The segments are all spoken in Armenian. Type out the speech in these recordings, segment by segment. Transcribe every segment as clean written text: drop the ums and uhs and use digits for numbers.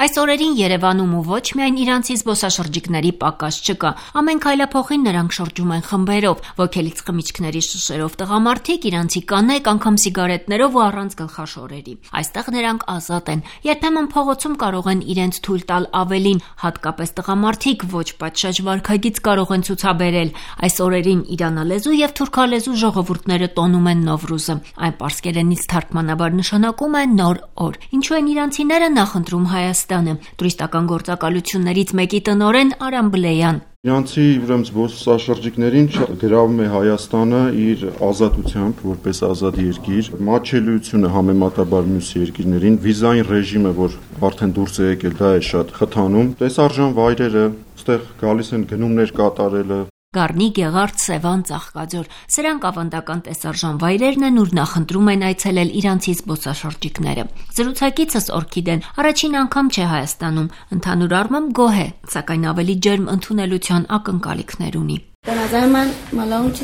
Այս օրերին Երևանում ու ոչ միայն իրանցի զբոսաշրջիկների պակաս չկա, ամեն քայլափոխին նրանք շրջում են խմբերով, ոգելից խմիչքների շշերով տղամարդիկ, իրանցի կանայք, անգամ սիգարետներով ու առանց գլխաշորերի։ Այստեղ նրանք ազատ են, երբեմն փողոցում կարող են իրենց թույլ տալ ավելին, հատկապես տղամարդիկ ոչ պատշաճ վարքագիծ կարող են ցուցաբերել։ Այս օրերին իրանալեզու եւ թուրքալեզու ժողովուրդները տոնում են Նովրուզը։ Այն պարսկերենից թարգմանաբար նշանակում է նոր օր։ Ինչու են իրանցիները նախընտրում Հայաստանը։ Տուրիստական գործակալություններից մեկի տնօրեն Արամ Բլեյան: Իրանցի զբոսաշրջիկներին գրավում է Հայաստանը իր ազատությամբ, որպես ազատ երկիր, մատչելիությունը համեմատաբար մյուս երկրներին, վիզային ռեժիմը, որ արդեն դուրս է եկել, դա է շատ խթանում, տեսարժան վայրերը, այստեղ գալիս են գնումներ կատարելը։ Գառնի, Գեղարդ, Սևան, Ծաղկաձոր, սրանք ավանդական տեսարժան վայրերն են, ուր նախընտրում են այցելել իրանցի զբոսաշրջիկները։ Զրուցակիցս Օրքիդեն առաջին անգամ չէ Հայաստանում, ընդհանուր առմամբ գոհ է, սակայն ավելի ջերմ ընդունելության ակնկալիքներ ունի։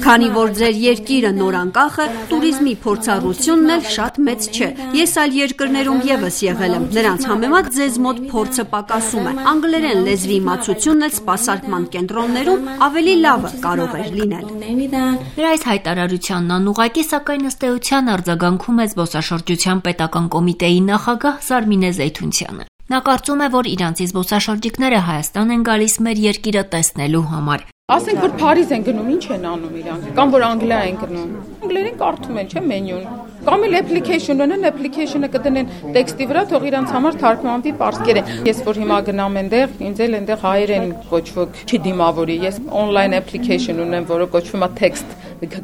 Քանի որ ձեր երկիրը նոր անկախ է, տուրիզմի փորձառությունն էլ շատ մեծ չէ։ Ես այլ երկրներում եւս եղել եմ, նրանց համեմատ ձեզ մոտ փորձը պակասում է։ Անգլերեն լեզվի իմացությունն էլ սպասարկման կենտրոններում ավելի լավը կարող էր լինել։ Նրա այս հայտարարությանն անուղղակի, սակայն ըստ էության արձագանքում է զբոսաշրջության պետական կոմիտեի նախագահ Զարմինե Զեյթունցյանը։ Նա կարծում է, որ իրանցի զբոսաշրջիկները Հայաստան են գալիս մեր երկիրը տեսնելու համար։ Ասենք, որ Փարիզ են գնում, ինչ են անում իրանք, կամ որ Անգլիա են գնում։ Անգլերեն կարդում են, չէ՞, մենյուն։ Կամ էլ application ունեն, application-ը կդնեն տեքստի վրա, թող իրանց համար թարգմանվի պարսկերեն։ Ես որ հիմա գնամ այնտեղ, ինձ էլ այնտեղ հայերեն կոչվող չի դիմավորի։ Ես online application ունեմ, որը կոչվում է text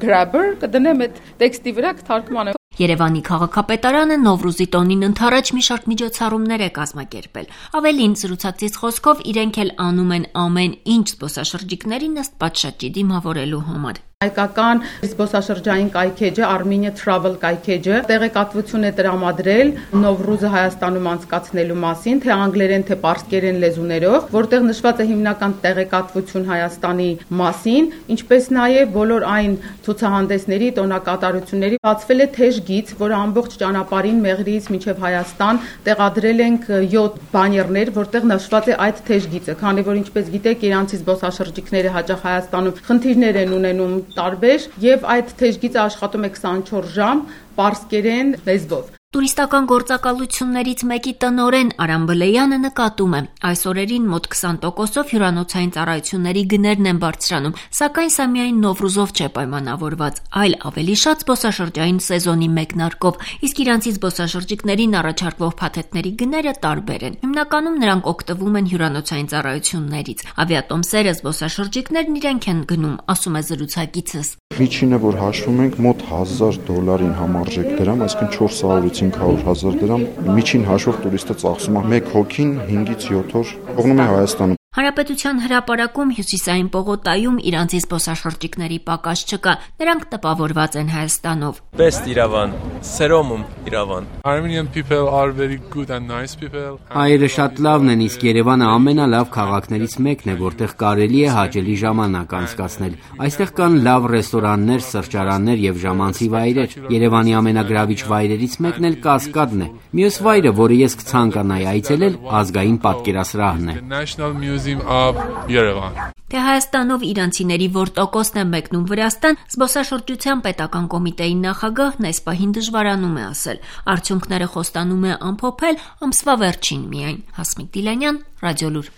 grabber, կդնեմ այդ տեքստի վրա կթարգմանեմ։ Երևանի քաղաքապետարանը Նովրուզի տոնին ընդառաջ մի շարք միջոցառումներ է կազմակերպել։ Ավելին, զրուցակցից խոսքով իրենք էլ անում են ամեն ինչ զբոսաշրջիկներին ըստ պատշաճի դիմավորելու համար։ Հայկական զբոսաշրջային կայքեջը Armenia Travel կայքեջը տեղեկատվություն է տրամադրել Նովրուզը Հայաստանում անցկացնելու մասին, թե անգլերեն, թե պարսկերեն լեզուներով, որտեղ նշված է հիմնական տեղեկատվություն Հայաստանի մասին, ինչպես նաև բոլոր այն ցուցահանդեսների, տոնակատարությունների բացվել է թեժ գիծ, որը ամբողջ ճանապարհին Մեղրիից մինչև Հայաստան տեղադրել ենք 7 բաներներ, որտեղ նշված է այդ թեժ գիծը, քանի որ ինչպես գիտեք, իրանցի զբոսաշրջիկները հաճախ Հայաստանում խնդիրներ են ունենում տարբեր եւ այդ թեժգիծը աշխատում է 24 ժամ պարսկերեն լեզվով։ Տուրիստական գործակալություններից մեկի տնօրեն Արամ Բլեյանը նկատում է, այս օրերին մոտ 20%-ով հյուրանոցային ծառայությունների գներն են բարձրանում, սակայն սա միայն Նովրուզով չէ պայմանավորված, այլ ավելի շատ զբոսաշրջային սեզոնի մեկնարկով, իսկ իրանցի զբոսաշրջիկներին առաջարկվող փաթեթների գները տարբեր են։ Հիմնականում նրանք օգտվում են հյուրանոցային ծառայություններից։ Ավիատոմսերը զբոսաշրջիկներն իրենք են գնում, ասում է զրուցակիցս։ Միջինը, որ հաշվում ենք, մոտ $1000 համարժեք դրամ, այսինքն 400-ից 500,000 դրամ միջին հաշվով տուրիստը ծախսում է մեկ հոգին 5-ից 7 օր թողնում է Հայաստանում։ Հանրապետության հրապարակում Հյուսիսային պողոտայում իրանցի զբոսաշրջիկների պակաս չկա, նրանք տպավորված են Հայաստանով։ Best Իրավան, Սերոմում Իրավան։ Armenian people are very good and nice people. Հայերը շատ լավն են, իսկ Երևանը ամենալավ քաղաքներից մեկն է, որտեղ կարելի է հաճելի ժամանակ անցկացնել։ Այստեղ կան լավ ռեստորաններ, սրճարաններ եւ ժամանցի վայրեր։ Երևանի ամենագրավիչ վայրերից մեկն էլ Կասկադն է։ Մյուս վայրը, որը ես կցանկանայի այցելել, ազգային պատկերասրահն է։ Թե Հայաստանով իրանցիների որ տոկոսն է մեկնում Վրաստան, զբոսաշրջության պետական կոմիտեի նախագահն այս պահին դժվարանում է ասել։ Արդյունքները խոստանում է ամփոփել ամսվա վերջին միայն։ Հասմիկ Դիլանյան, Ռադիոլուր։